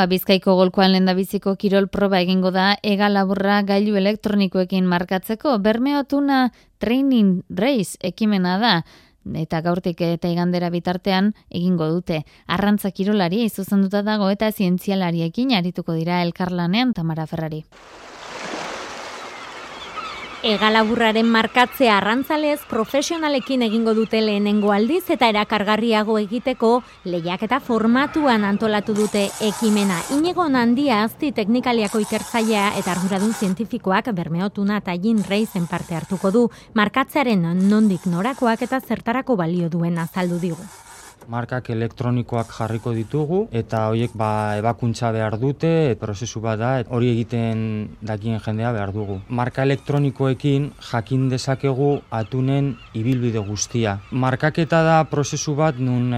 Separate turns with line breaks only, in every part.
Bizkaiko golkoan lehendabiziko kirol proba egingo da hegalaburra gailu elektronikoekin markatzeko. Bermeo Tuna Training Race ekimena da, eta gaurtik eta igandera bitartean egingo dute. Arrantza kirolari zuzenduta dago eta zientzialariekin arituko dira elkarlanean. Tamara Ferrari.
Hegalaburraren markatzea arrantzalez profesionalekin egingo dute lehenengo aldiz eta erakargarriago egiteko lehiaketa formatuan antolatu dute ekimena. Inigo Nandia Azti teknikaliako ikertzailea eta arduradun zientifikoak Bermeo Tuna Training Racen parte hartuko du. Markatzearen nondik norakoak eta zertarako balio duen azaldu digu.
Markak elektronikoak jarriko ditugu eta horiek ebakuntza behar dute, prozesu bat da, hori egiten dakien jendea behar dugu. Marka elektronikoekin jakin dezakegu atunen ibilbide guztia. Markaketa da prozesu bat nun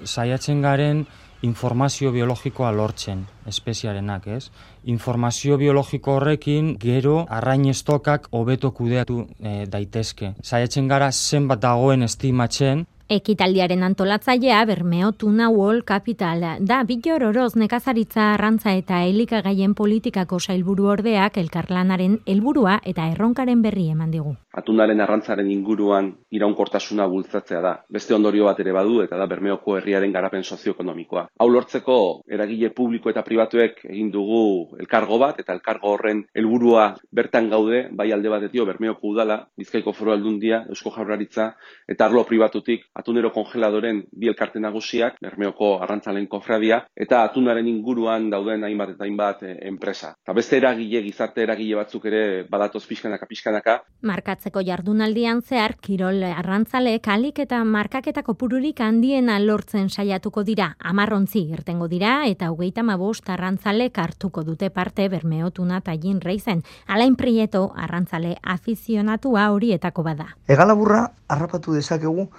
saiatzen garen informazio biologikoa lortzen, espeziarenak, ez? Informazio biologiko horrekin gero arrain estokak hobeto kudeatu daitezke. Saiatzen gara zenbat dagoen estimatzen.
Ekitaldiaren antolatzailea Bermeo Tuna World Capital da. Bittor Oroz nekazaritza, arrantza eta elikagaien politikako sailburu ordeak elkarlanaren helburua eta erronkaren berri eman digu.
Atunaren arrantzaren inguruan iraunkortasuna bultzatzea da. Beste ondorio bat ere badu eta da Bermeoko herriaren garapen sozioekonomikoa. Hau lortzeko eragile publiko eta pribatuek egin dugu elkargo bat eta elkargo horren helburua bertan gaude, bai alde batetik Bermeoko udala, Bizkaiko Foru Aldundia, Eusko Jaurlaritza eta arlo pribatutik Atunero Kongeladoren bi elkarte nagusiak, Bermeoko arrantzalen kofradia, eta atunaren inguruan dauden hainbat eta hainbat enpresa. Eta beste eragile, gizarte eragile batzuk ere badatoz pixkanaka.
Markatzeko jardunaldian zehar, kirol arrantzaleek alik eta markaketa kopururik handiena lortzen saiatuko dira. 10 ontzi irtengo dira eta 35 arrantzalek hartuko dute parte Bermeo Tuna Training Racen. Alain Prieto arrantzale afizionatua horietako bada.
Hegalaburra harrapatu dezakegu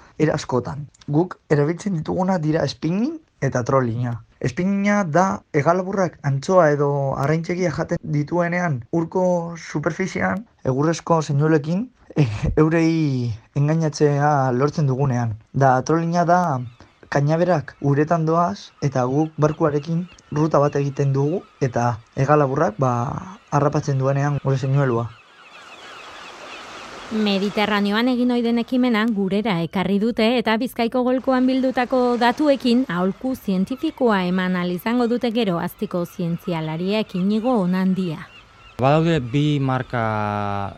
askotan. Guk erabiltzen dituguna dira spinning eta trollinga. Spinninga da hegalaburrak antzoa edo arraintzegia jaten dituenean urko superfizian egurrezko zeinulekin eurei engainatzea lortzen dugunean. Da trollinga da kainaberak uretan doaz eta guk barkuarekin ruta bat egiten dugu eta hegalaburrak harrapatzen duenean gure zeinuelua.
Mediterraneoan egin ohi den ekimena gurera ekarri dute eta Bizkaiko golkoan bildutako datuekin aholku zientifikoa eman ahal izango dute gero Aztiko zientzialariek. Inigo Nandia.
Badaude bi marka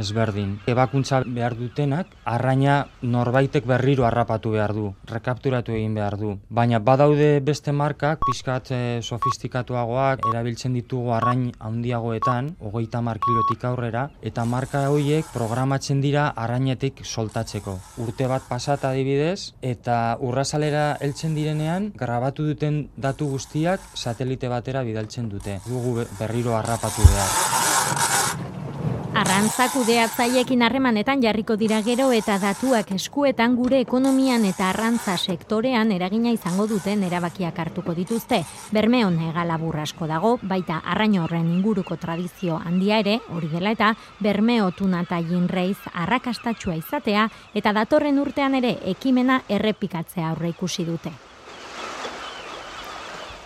ezberdin. Ebakuntza behar dutenak, arraina norbaitek berriro harrapatu behar du, rekapturatu egin behar du. Baina badaude beste markak, pixkat sofistikatuagoak, erabiltzen ditugu arrain handiagoetan, 30 kilotik aurrera, eta marka horiek programatzen dira arrainetik soltatzeko. Urte bat pasata adibidez, eta urrazalera heltzen direnean, grabatu duten datu guztiak satelite batera bidaltzen dute. Dugu berriro harrapatu behar.
Arrantza kudeatzaileekin harremanetan jarriko dira gero eta datuak eskuetan gure ekonomian eta arrantza sektorean eragina izango duten erabakiak hartuko dituzte. Bermeon hegalabur asko dago, baita arrain horren inguruko tradizio handia ere, hori dela eta Bermeo Tuna Training Race arrakastatsua izatea eta datorren urtean ere ekimena errepikatzea aurreikusi dute.